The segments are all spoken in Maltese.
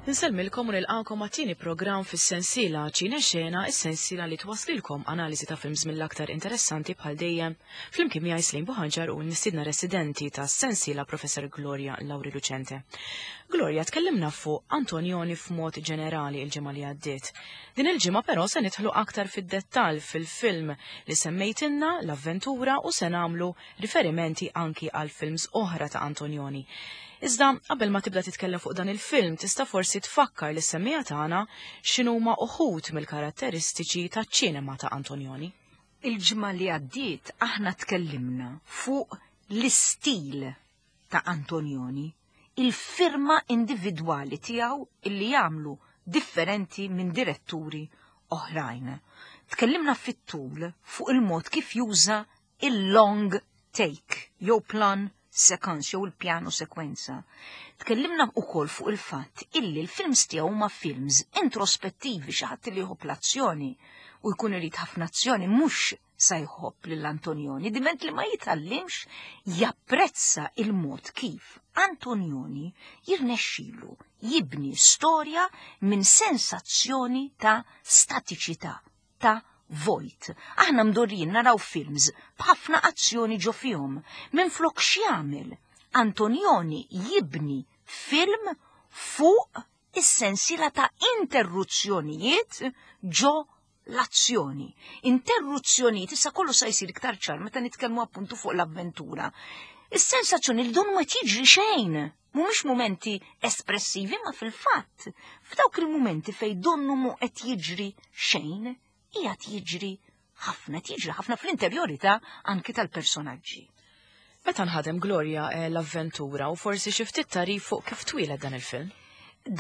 Insellmilkom u nilqakom għat-tieni programm fis-sensiela Ċine Xena, is-sensiela li twaslilkom analiżi ta' films mill-aktar interessanti bħal dejjem. Flimkien miegħi Slim Buħanġar u l-mistiedna residenti tas-sensiela Professor Gloria Lauri Lucente. Gloria, tkellimna fuq Antonioni f'mod ġenerali il-ġimgħa li għaddiet. Din il-ġimgħa però se nidħlu aktar fid-dettall fil-film li semmejtilna l-avventura u se nagħmlu riferimenti anki għal films oħra ta' Antonioni. Iżda qabel ma tibda titkellem fuq dan il-film tista' forsi tfakkar lis semmiegħa tagħna x'inhuma uħud mill-karatteristiċi taċ-ċinema ta' Antonioni. Il-ġimgħa li għaddiet aħna tkellimna fuq l-istil ta' Antonioni, il-firma individwali tiegħu illi jagħmlu differenti minn diretturi oħrajn. Tkellimna fit-tul fuq il-mod kif juża il-long take jew plan sequence jew il-pjano sekwenza. Tkellimna wkoll fuq il-fatt illi l-films tiegħu huma films introspettivi xi ħadd li jħobb l-azzjoni u jkun irid ħafna azzjoni mhux sa jħobb lil Antonioni diment li ma jitgħallimx japprezza il-mod kif Antonioni jirnexxilu jibni storja minn sensazzjoni ta' statiċità ta' vojt. Aħna mdorrijin naraw films b'ħafna azzjoni ġo fihom. Minflok x'jagħmel? Antonioni jibni film fuq is-sensiela ta' interruzzjonijiet ġo l-azzjoni. Interruzzjonijiet, issa kollu sa jsir iktar ċar meta nitkellmu appuntu fuq l-avventura. Is-sensazzjoni li donnu qed jiġri xejn. Mhumiex mumenti espressivi ma fil-fatt, f'dawk il-mumenti fejn donnu mu qed jiġri xejn, qiegħed jiġri ħafna, qed jiġri ħafna fl-interjorità anki tal-personaġġi. Meta nħadem Gloria eh, l-avventura u forsi xi ftit tarif fuq kif twieled dan il-film?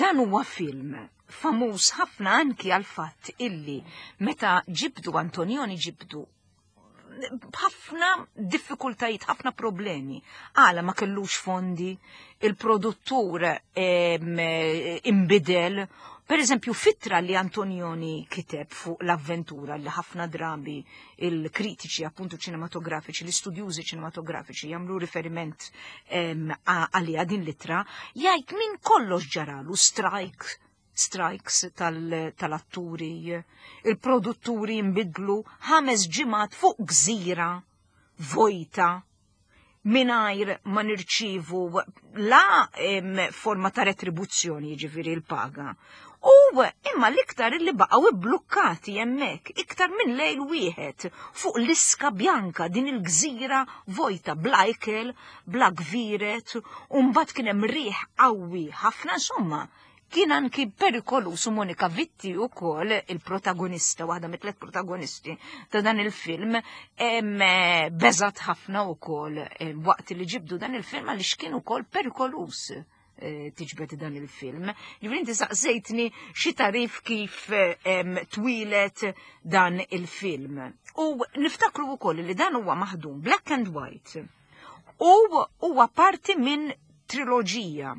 Dan huwa film famuż ħafna anki għal fatt illi meta ġibdu Antonioni ġibdu b'ħafna diffikultajiet, ħafna problemi. Għala ma kellux fondi, il-produttur imbidel. Per eżempju, fitra li Antonioni kiteb fuq l-avventura li ħafna drabi il-kritiċi appuntu ċinematografiċi, l-istudjużi ċinematografiċi jagħmlu riferiment għalija din litra, jgħid min kollox ġaralu strike strikes tal-atturi, il-produtturi jinbidlu ħames ġimgħat fuq gżira vojta mingħajr ma nirċivu la forma ta' retribuzzjoni jiġifieri l-paga. U imma l-iktar li baqgħu ibblukkati hemmhekk iktar minn lejl wieħed fuq l-iska bjanka din il-gżira vojta bla ikel, bla gviret, u mbagħad kien hemm riħ qawwi ħafna insomma Kien anki perikoluż u Monika Vitti wkoll il-protagonista, waħda mit-tlet protagonisti ta' dan il-film, eh, beżat ħafna wkoll eh, waqt li ġibdu dan il-film għaliex kien ukoll perikoluż eh, tiġbed dan il-film. Ġifieri inti saqsejtni xi tarif kif twilet dan il-film. U niftakru wkoll li dan huwa maħdum black and white u huwa parti minn triloġija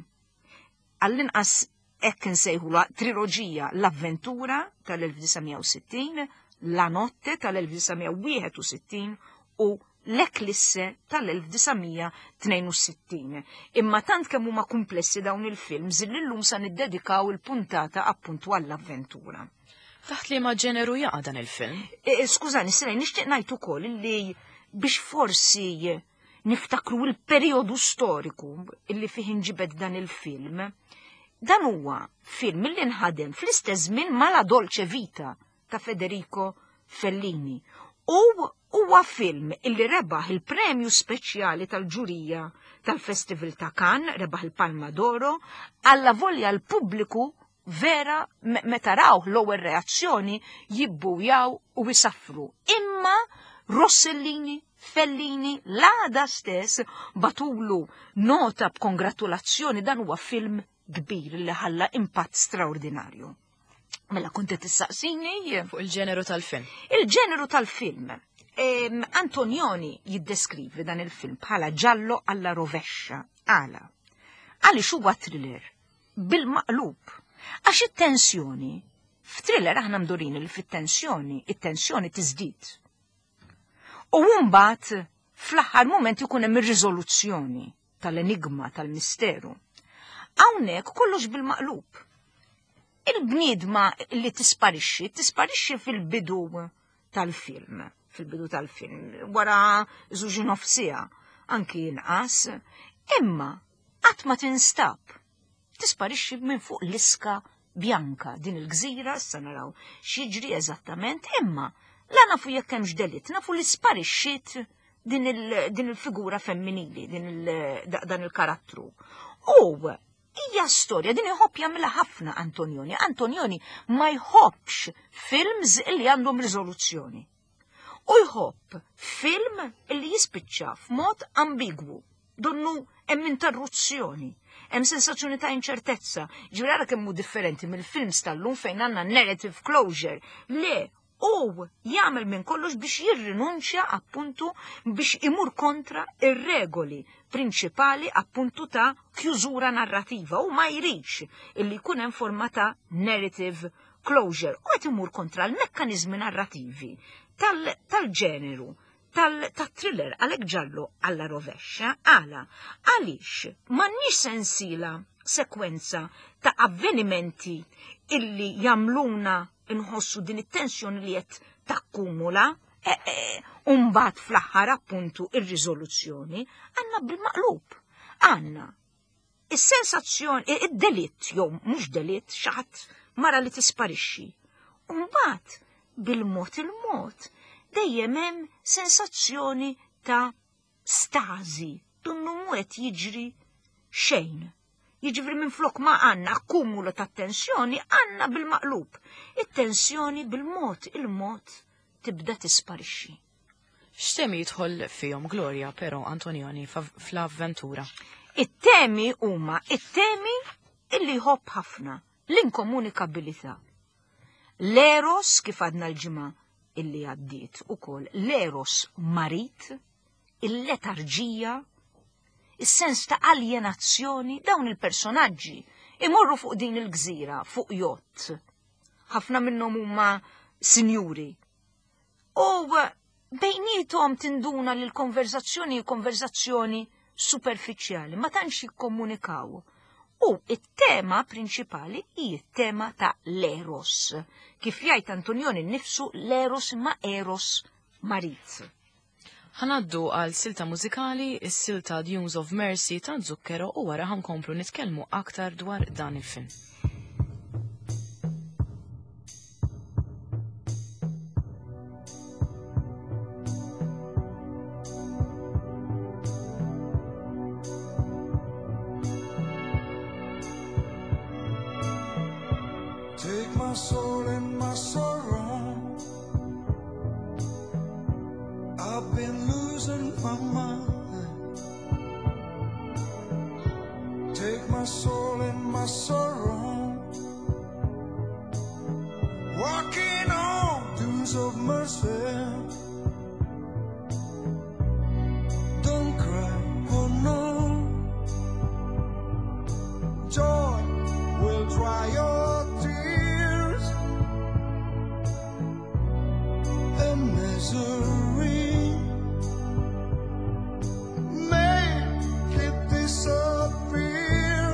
għall-inqas hekk insejħulha triloġija L-Avventura tal-1960, La Notte tal-1961 u L-Eclisse tal-1962. Imma tant kemm huma kumplessi dawn il-films li llum sa niddedikaw il-puntata appuntu għall-avventura. Taħt liema ġeneru jaqa' dan il-film? E, e, skużani, Siraj, nixtieq ngħid ukoll li biex forsi niftakru l-perjodu storiku illi fih inġibed dan il-film, dan huwa film li nħadem fl-istess żmien ma' La Dolce Vita ta' Federico Fellini. U huwa film illi rebaħ il-premju speċjali tal-ġurija tal-Festival ta' Cannes, rebaħ il-Palma d'Oro, alla volja l-pubbliku vera meta rawh l-ewwel reazzjoni jibbujaw u jsaffru. Imma Rossellini, Fellini, l-għada stess batulu nota b'kongratulazzjoni dan huwa film kbir li ħalla impatt straordinarju. Mela kont qed tissaqsini fuq il-ġeneru tal-film. Il-ġeneru tal-film. Antonioni jiddeskrivi dan il-film bħala ġallo alla rovescia. Għala. Għaliex huwa thriller bil-maqlub. Għax it-tensjoni, f'thriller aħna mdurin li fit-tensjoni, it-tensjoni tiżdied. U mbagħad fl-aħħar mument ikun hemm ir-riżoluzzjoni tal-enigma tal-misteru. Hawnhekk kollox bil-maqlub. Il-bniedma li tisparixxi, tisparixxi fil-bidu tal-film, fil-bidu tal-film, wara żewġ nofsija, anki inqas, imma qatt ma tinstab. Tisparixxi minn fuq l-iska Bianca, din il-gżira, issa naraw x'jiġri eżattament, imma la nafu jekk hemmx delitt, nafu li sparixxiet din il-figura femminili, dan il-karattru. U hija storja din iħobb jagħmilha ħafna Antonioni. Antonioni ma jħobbx films li għandhom riżoluzzjoni. U jħobb film li jispiċċa f'mod ambigwu. Donnu hemm interruzzjoni, hemm sensazzjoni ta' inċertezza. Ġifieri ara kemm hu differenti mill-films tal-lum fejn għandna narrative closure. Le, u jagħmel minn kollox biex jirrinunċja appuntu biex imur kontra ir-regoli prinċipali appuntu ta' kjużura narrativa u ma jridx illi jkun hemm forma ta' narrative closure u qed imur kontra l-mekkaniżmi narrativi tal-ġeneru tal-thriller għalhekk giallo alla rovescia għala għaliex m'għandniex sensiela sekwenza ta' avvenimenti illi jagħmluna nħossu din it-tensjoni li qed takkumula e, e, Umbagħad fl-aħħar appuntu ir-riżoluzzjoni għandna bil-maqlub. Għandna is-sensazzjoni, id-delitt, jew mhux delitt, xi ħadd mara li tisparixxi. Umbagħad bil-mod il-mod dejjem hemm sensazzjoni ta' stażi, donnu mhu qed jiġri xejn. Jiġifieri minflok ma għandna akkumulu ta' tensjoni, għandna bil-maqlub. It-tensjoni bil-mod il-mod tibda tisparixxi. X'temi jidħol fihom Gloria però Antonioni fl-avventura? It-temi huma it-temi illi jħobb ħafna, l-inkomunikabilità. L-eros kif għadna l-ġimgħa illi għaddiet ukoll l-eros marit, il-letarġija, is-sens ta' aljenazzjoni, dawn il-personaġġi imorru fuq din il-gżira, fuq jott. Ħafna minnhom huma sinjuri. U bejnietom tinduna li l-konverzazzjoni hi konverzazzjoni superfiċjali, ma tantx jikkomunikaw. U it-tema prinċipali hi t-tema ta' l-eros. Kif jgħid Antonioni nnifsu l-eros imma eros marid. Ħa ngħaddu għal silta mużikali, is-silta Dunes of Mercy ta' Zucchero u wara ħa nkomplu nitkellmu aktar dwar dan il-film. Take my soul and my sorrow. I've been losing my mind. Take my soul and my sorrow. Walking on dunes of mercy. Don't cry, oh no. Joy will dry your tears and misery. Make it disappear.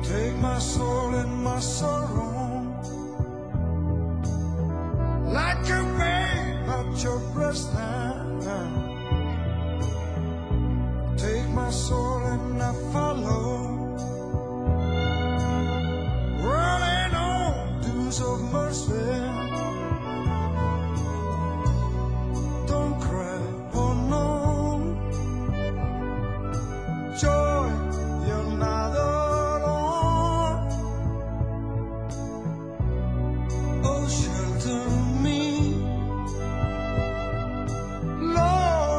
Take my soul and my sorrow, like a babe at your breast now. Take my soul and I follow, running on dunes of mercy. Don't cry, oh no. Joy, you're not alone. Oh, shelter me, Lord.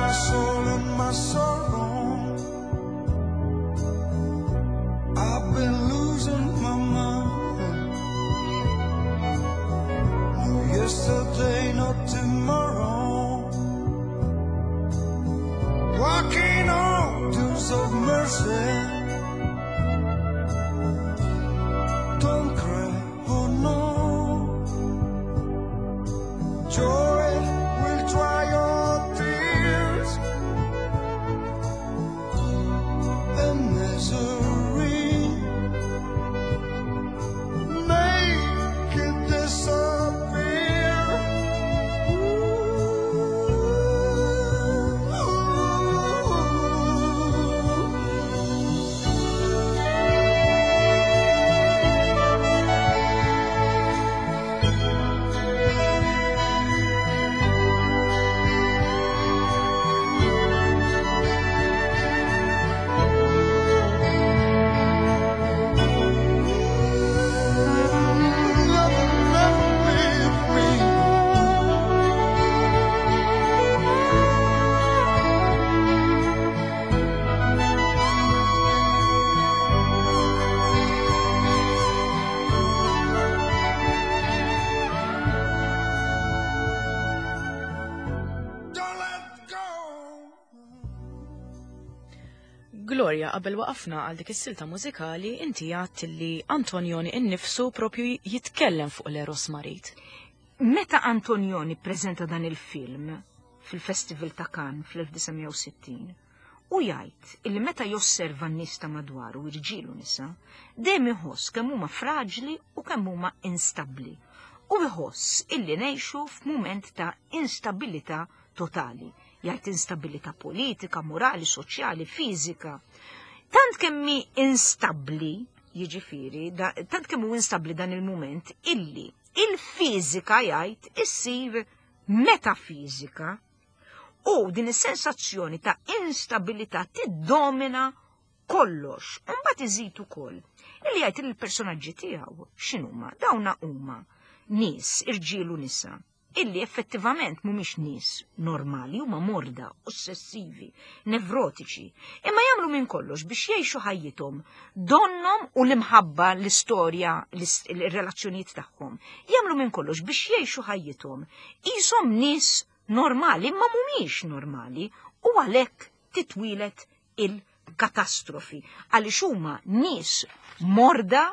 my soul and my sorrow. I've been losing my mind. No yesterday, not tomorrow. Walking on doors of mercy. Don't cry, oh no. Joy will dry your tears and misery. Make it disappear. Ooh. Never, never leave me. Don't let go. Gloria, qabel waqafna għal dik is-silta mużikali, inti għadt li Antonioni innifsu propju jitkellem fuq l-Eros Marid. Meta Antonioni ppreżenta dan il-film fil-Festival ta' Cannes fl-1960, u jgħid illi meta josserva n-nies ta' madwaru, irġiel u nisa, dejjem iħoss kemm huma fraġli u kemm huma instabbli. U iħoss illi ngħixu f'mument ta' instabilità totali. Jgħid instabilità politika, morali, soċjali, fiżika. Tant kemm hi instabbli, jiġifieri, tant kemm hu instabbli dan il-mument illi il-fiżika jgħid issir metafiżika u din is-sensazzjoni ta' instabilità tiddomina kollox. Mbagħad iżid ukoll illi jgħid li l-personaġġi tiegħu x'inhuma? Dawna huma nies, irġiel u nisa, illi effettivament mhumiex nies normali, huma morda, ossessivi, nevrotiċi, imma jagħmlu minn kollox biex jgħixu ħajjithom donnom u l-imħabba, l-istorja, il-relazzjonijiet tagħhom. Jagħmlu minn kollox biex jgħixu ħajjithom qishom nies normali, imma mhumiex normali, u għalhekk titwieled il-katastrofi. Għaliex huma nies morda,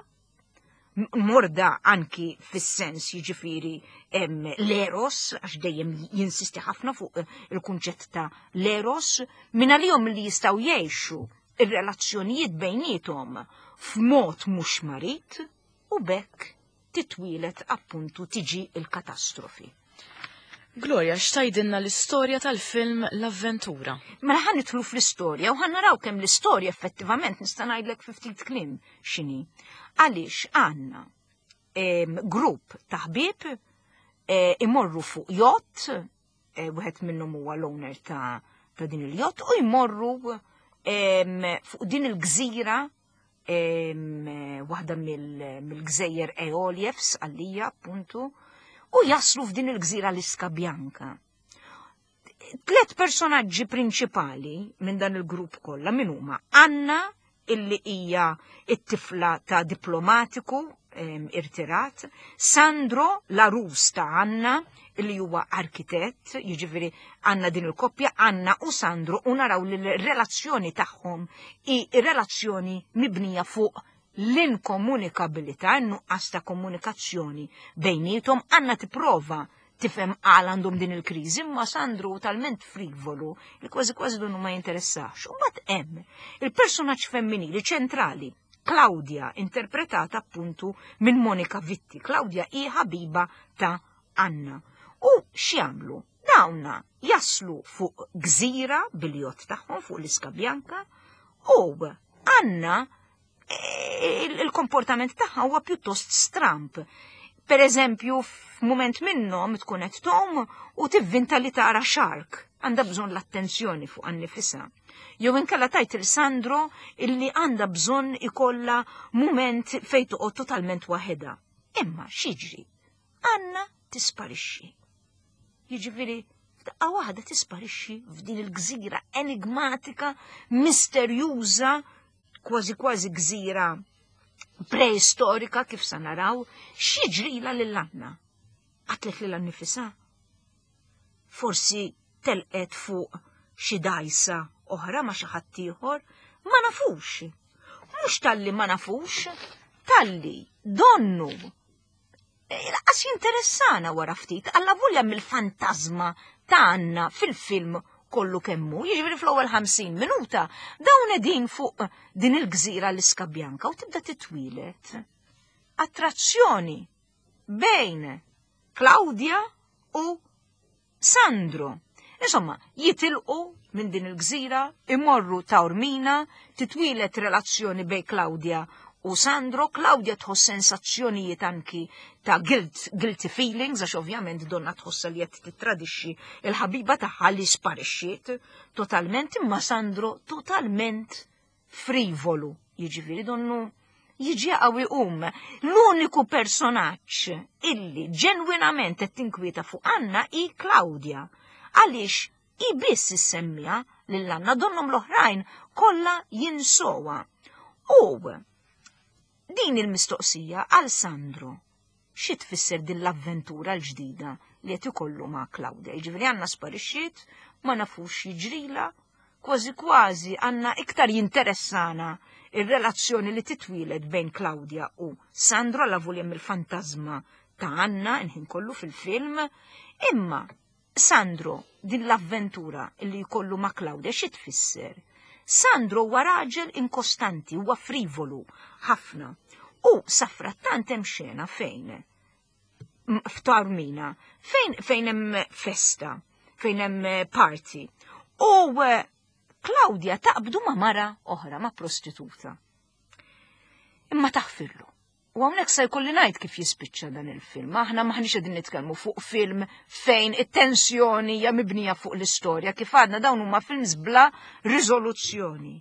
morda anki fis-sens jiġifieri l-eros, għax dejjem jinsisti ħafna fuq il-kunċett ta' l-eros, minn għalihom li jistgħu jgħixu ir-relazzjonijiet bejniethom f'mod mhux marit, u bekk titwieled appuntu tiġi il-katastrofi. Gloria, x'tgħidilna l-istorja tal-film L-Avventura? Mela ħa nidħlu fl-istorja u ħa naraw kemm l-istorja effettivament nista' ngħidlek fi ftit kliem x'inhi. Għaliex għandna grupp ta' ħbieb imorru fuq yacht, wieħed minnhom huwa l-owner ta' din il-yacht, u jmorru fuq din il-gżira, waħda mill-gżejjer Eoliefs għalija appuntu, u jaslu f'din il-gżira l-Iska Bianca. Tlet personaġġi prinċipali minn dan il-grupp kollha min huma? Anna, illi hija it-tifla ta' diplomatiku irtirat, Sandro, l-arus ta' Anna, illi huwa arkitett, jiġifieri għandna din il-koppja, Anna u Sandro, u naraw li l-relazzjoni tagħhom hi relazzjoni mibnija fuq l-inkomunikabilità, n-nuqqas ta' komunikazzjoni bejniethom. Anna tipprova tifhem għal għandhom din il-kriżi, imma Sandro talment frivolu li kważi kważi donnu ma jinteressax. U mbagħad hemm il-personaġġ femminili ċentrali, Claudia, interpretata appuntu minn Monica Vitti. Claudia hi ħabiba ta' Anna. U x'jagħmlu? Dawna jaslu fuq gżira bil-jott tagħhom fuq l-Iska Bianca, u Anna il-komportament tagħha huwa pjuttost stramp. Per eżempju, f'mument minnhom tkun qed tgħum u tivvinta li tara shark, għandha bżonn l-attenzjoni fuq annifisha. Jew inkella tajt il Sandro illi għandha bżonn ikollha mument fejn toqgħod totalment waħedha. Imma x'jiġri? Anna tisparixxi. Jiġifieri Daqqa waħda tisparixxi f'din il-gżira enigmatika, misterjuża, kważi kważi gżira preistorika kif sa naraw, x'jiġrila lil Anna? Qatlet lilha nnifisha? Forsi telqet fuq xi dgħajsa oħra ma' xi ħadd ieħor? Ma nafux. Mhux talli ma nafux, talli donnu e, laqas jinteressana wara ftit, alla volja mill-fantasma ta' Anna fil-film kollu kemmu, jiġifieri fl-ewwel 50 minuta, dawn qegħdin fuq din il-gżira l-Iska Bjanka u tibda titwieled. Attrazzjoni bejn Claudia u Sandro. Insomma, jitilqu minn din il-gżira, imorru Taormina, titwieled relazzjoni bejn Claudia u Sandro. Claudia tħoss sensazzjonijiet anki ta' guilt, guilty feelings, għax ovvjament donna tħossa li qed tittradixxi il-ħabiba tagħha li sparixxiet totalment, imma Sandro totalment frivolu, jiġifieri donnu jiġi qawwi um. L-uniku personaġġ illi ġenwinament qed tinkwieta fuq Anna hi Claudia. Għaliex hi biss issemmija lil Anna donnhom l-oħrajn kollha jinsowa. U din il-mistoqsija għal Sandro xi tfisser din l-avventura l-ġdida li qed ikollu ma' Claudia. Jiġifieri Anna sparixxiet, ma nafux jiġrila, kważi kważi għandna iktar jinteressana ir-relazzjoni li titwieled bejn Claudia u Sandro alla volja mill-fantasma ta' Anna inħin kollu fil-film, imma Sandro din l-avventura li jkollu ma' Claudia xi tfisser? Sandro huwa raġel inkostanti, huwa frivolu ħafna. U safrattant hemm xena fejn f'Taormina, fejn fejn hemm festa, fejn hemm party. U Claudia taqbdu ma' mara oħra, ma' prostituta. Imma taħfirlu. U hawnhekk se jkolli ngħid kif jispiċċa dan il-film. Aħna maħniex qegħdin nitkellmu fuq film fejn it-tensjoni hija mibnija fuq l-istorja, kif għadna dawn huma films bla riżoluzzjoni.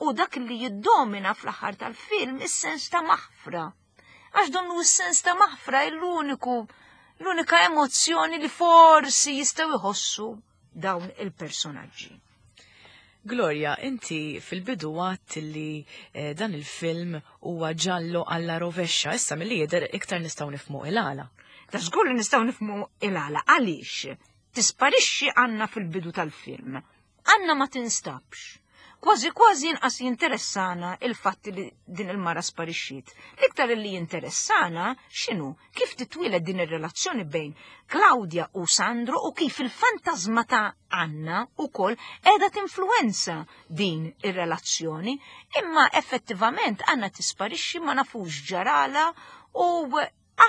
U dak li jiddomina fl-aħħar tal-film is-sens ta' maħfra. Għax donnu s-sens ta' maħfra l-uniku l-unika emozzjoni li forsi jistgħu jħossu dawn il-personaġġi. Gloria, inti fil-bidu għadt li dan il-film huwa ġallo alla rovescia, issa milli jidher iktar nistgħu nifhmu il-għala. Ta' żgur li nistgħu nifhmu il-għala għaliex tisparixxi Anna fil-bidu tal-film. Anna ma tinstabx. Kważi kważi inqas jinteressana il-fatt li din il-mara sparixxiet. L-iktar li jinteressana x'inhu kif titwieled din ir-relazzjoni bejn Claudia u Sandro u kif il-fantasma ta' Anna ukoll qiegħda tinfluwenza din ir-relazzjoni, imma effettivament Anna tisparixxi ma nafux ġarala u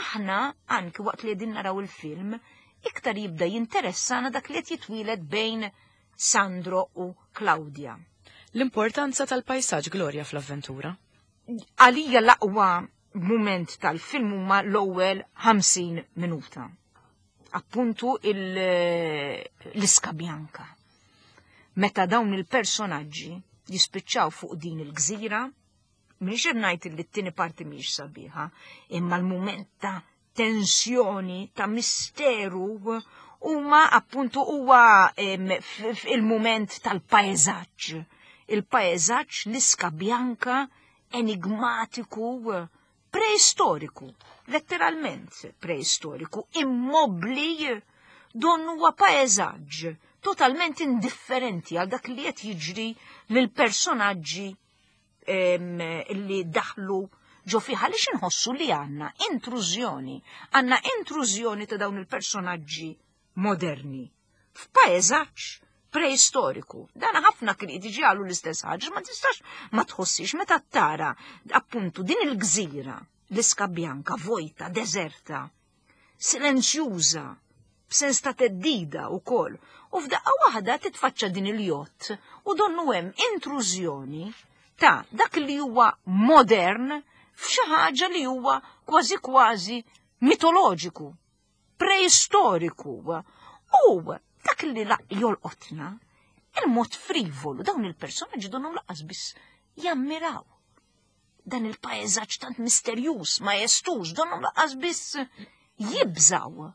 aħna anki waqt li qegħdin naraw il-film iktar jibda jinteressana dak li qed jitwieled bejn Sandro u Claudia. L-importanza tal-pajsaġġ, Gloria, fl-avventura? Għalija l-aqwa moment tal-film huma l-ewwel 50 minuta. Appuntu l-Iska Bianca. Meta dawn il-personaġġi jispiċċaw fuq din il-gżira, m'iniex qed ngħid li t-tieni parti mhijiex sabiħa, imma l-mument ta' tensjoni, ta' misteru, huma appuntu huwa il-mument tal-paesaġġ. Il-paesaġġ, l-Iska Bianca, enigmatiku, preistoriku, letteralment preistoriku, immobli, don huwa paesaġġ totalment indifferenti għal dak li qed jiġri lil personaġġi li daħlu ġo fiha, għaliex inħossu li għandna intrużjoni, għandna intrużjoni ta' dawn il-personaġġi moderni f'paesaġġ preistoriku. Dan ħafna kritiċi għalu l-istess ħaġa, ma tistax ma tħossix meta tara appuntu din il-gżira, l-Iska Bianca, vojta, deserta, silenzjuża, b'sens ta' teddida wkoll, u f'daqqa waħda titfaċċa din il-jott u donnu hemm intrużjoni ta' dak li huwa modern f'xi ħaġa li huwa kważi kważi mitoloġiku, preistoriku. U dak li jolqotna, il-mod frivolu, dawn il-personaġġi donhom laqas biss jammiraw dan il-paesaġġ tant misterjuż, majestuż, donhom laqas biss jibżaw,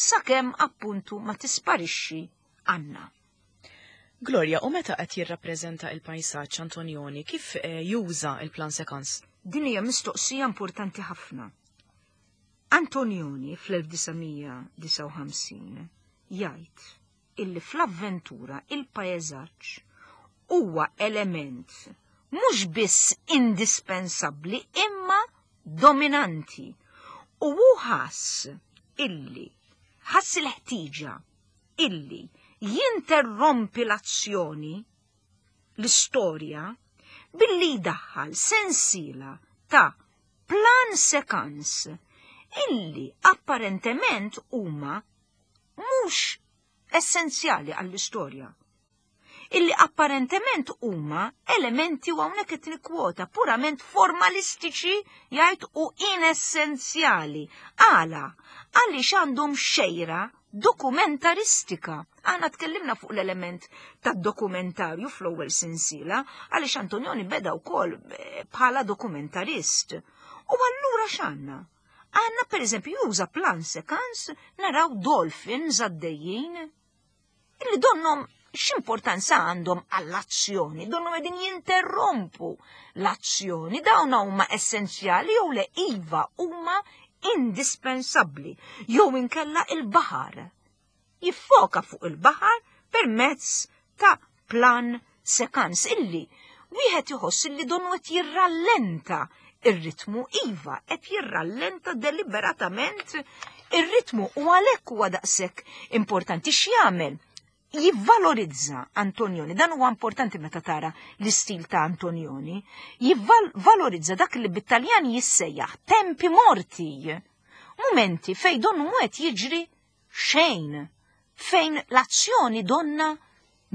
sakemm appuntu ma tisparixxi Għandna. Gloria, u meta qed jirrappreżenta il-pajsaġġ Antonioni, kif eh, juża il-plan sekans? Din hija mistoqsija importanti ħafna. Antonioni fl-1959 jgħid illi fl-avventura il-paesaġġ huwa element mhux biss indispensabbli imma dominanti u hu ħass illi ħass il-ħtieġa illi jinterrompi l-azzjoni l-istorja billi jdaħħal sensiela ta' plan sekans illi apparentement huma mhux essenzjali għall-istorja. Illi apparentement huma elementi u hawnhekk qed nikkwota purament formalistiċi jgħid u inessenzjali. Għala, għaliex għandhom xejra dokumentaristika. Aħna tkellimna fuq l-element tad-dokumentarju fl-ewwel sensiela għaliex Antonioni beda wkoll eh, bħala dokumentarist. U allura x'għandna? Għandna pereżempju juża plan sekans naraw dolphins għaddejjin illi donnom x'importanza għandhom għall-azzjoni, donnom qegħdin jinterrompu l-azzjoni, dawn huma essenzjali jew le iva huma indispensabbli jew inkella il-baħar. Jiffoka fuq il-baħar permezz ta' plan sekans illi wieħed iħoss illi donnu qed jirrallenta ir-ritmu iva qed jirrallenta deliberatament ir-ritmu u għalhekk huwa daqshekk importanti x'jagħmel jivvalorizza Antonioni, dan huwa importanti meta tara l-istil ta' Antonioni, jivvalorizza dak li bit-Taljan jissejjaħ tempi morti. Mumenti fej donnu mhu qed jiġri xejn, fejn l-azzjoni donna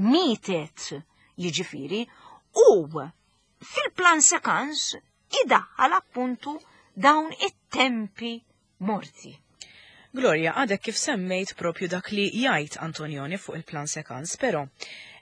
mietet, jiġifieri, u fil-plan sekans idaħħal appuntu dawn it-tempi morti. Gloria, għadek kif semmejt propju dak li jgħid Antonioni fuq il-plan sekans, però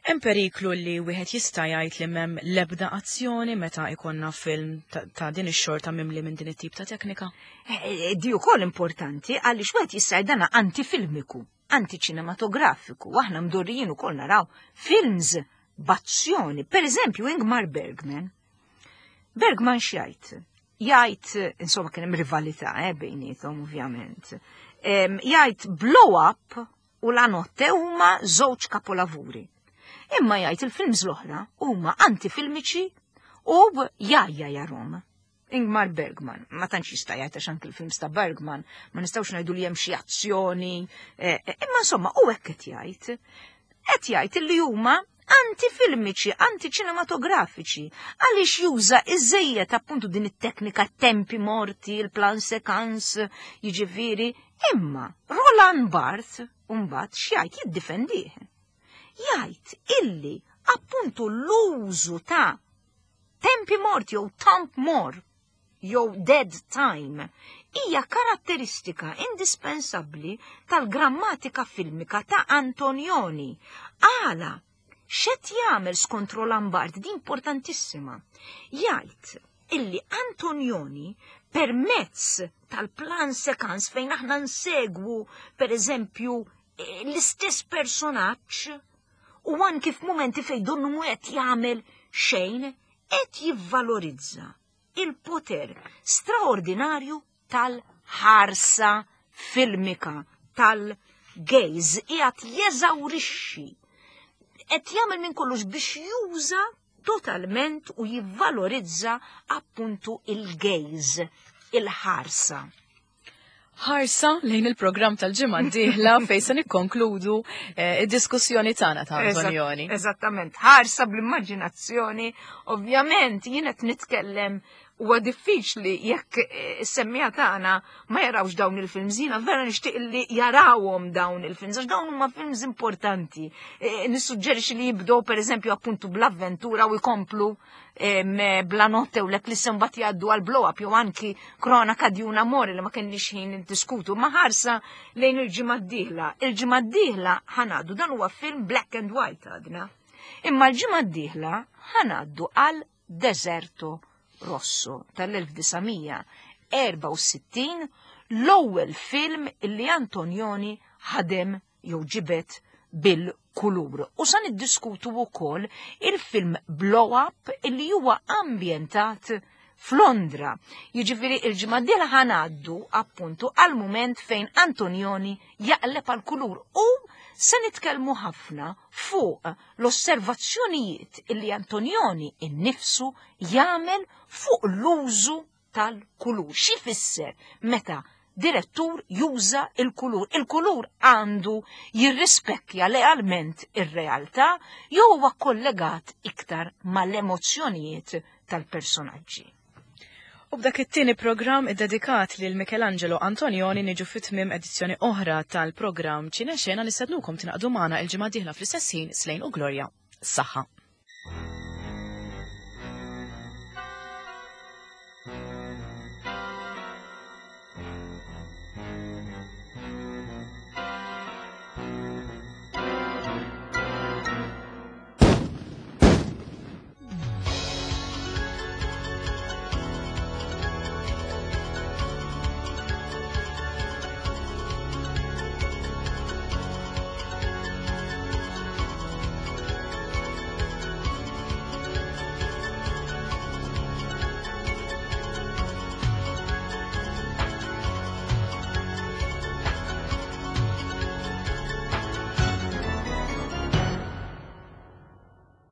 hemm periklu li wieħed jista' jgħid li m'hemm l-ebda azzjoni meta ikonna film ta', ta din ix-xorta mimli minn din it-tip ta' teknika? Eh, eh, di wkoll importanti għaliex wieħed jista' jgħid dana antifilmiku, antiċinematografiku, aħna mdorrijin ukoll naraw films b'azzjoni. Per eżempju, Ingmar Bergman. Bergman x'jgħid? Jgħid, insomma kien hemm rivalità eh, bejniethom ovvjament. Jgħid blow up u la notte huma żewġ kapolavuri. Imma jgħid il-films l-oħra huma antifilmiċi u jajja jarom. Ingmar Bergman, ma tantx jista' jgħid għax anki l-films ta' Bergman, ma nistgħux ngħidu li hemm xi azzjoni, eh, eh, imma insomma u hekk qed jgħid. Qed jgħid li huma antifilmiċi, antiċinematografiċi, għaliex juża iżejjed appuntu din it-teknika tempi morti, il-plan sekans, jiġifieri, imma Roland Barthes mbagħad x'jgħid jiddifendih. Jgħid illi appuntu l-użu ta' tempi morti jew temp mor jew dead time hija karatteristika indispensabbli tal-grammatika filmika ta' Antonioni. Għala, x'qed jagħmel skont Roland Barthes di importantissima. Jgħid illi Antonioni permezz tal-plan sekans fejn aħna nsegwu per eżempju l-istess personaġġ u anki f'mumenti fejn donnu mhu qed jagħmel xejn qed jivvalorizza il-poter straordinarju tal-ħarsa filmika, tal-gaze, qiegħed jeżawrixxi. Qed jagħmel minn kollox biex juża totalment u jivvalorizza appuntu il-gaze, il-ħarsa. Ħarsa lejn il-programm tal-ġimgħa d-dieħla fejn se nikkonkludu eh, id-diskussjoni tagħna ta' Antonioni. Eżattament, ħarsa bl-immaġinazzjoni, ovvjament jien qed nitkellem huwa diffiċli jekk eh, is-semmija tagħna ma jarawx dawn il-films. Jiena vera nixtieq li jarawhom dawn il-films għax dawn huma films importanti. Eh, nissuġġerixxi li jibdew pereżempju appuntu bl-avventura u jkomplu bla notte u l-eclisse mbagħad jgħaddu għal blow up jew anki kronaka di un amore li ma kenniex ħin niddiskutu ma ħarsa lejn il-ġimgħa d-dieħla. Il-ġimgħa d-dieħla ħanaddu dan huwa film black and white għadna. Imma l-ġimgħa d-dieħla ħanaddu għal Deserto Rosso tal-1964 l-ewwel film li Antonioni ħadem jew ġibet bil-kulur. il-kulur. U sa niddiskutu wkoll il-film Blow Up illi huwa ambjentat f'Londra. Jiġifieri il-ġimgħa d-dieħla ħa ngħaddu appuntu għal mument fejn Antonioni jaqleb għal kulur u se nitkellmu ħafna fuq l-osservazzjonijiet illi Antonioni innifsu jagħmel fuq l-użu tal-kulur. Xi fisser meta direttur juża il-kulur? Il-kulur għandu jirrispekkja lealment ir-realtà jew huwa kollegat iktar mal-emozzjonijiet tal-personaġġi. U b'dak it-tieni programm iddedikat lil Michelangelo Antonioni niġu fit-tmiem edizzjoni oħra tal-programm Ċinexena. Nistednukom tingħaqdu magħna il-ġimgħa dieħla fl-istess ħin. Slejn u Gloria. Saħħa.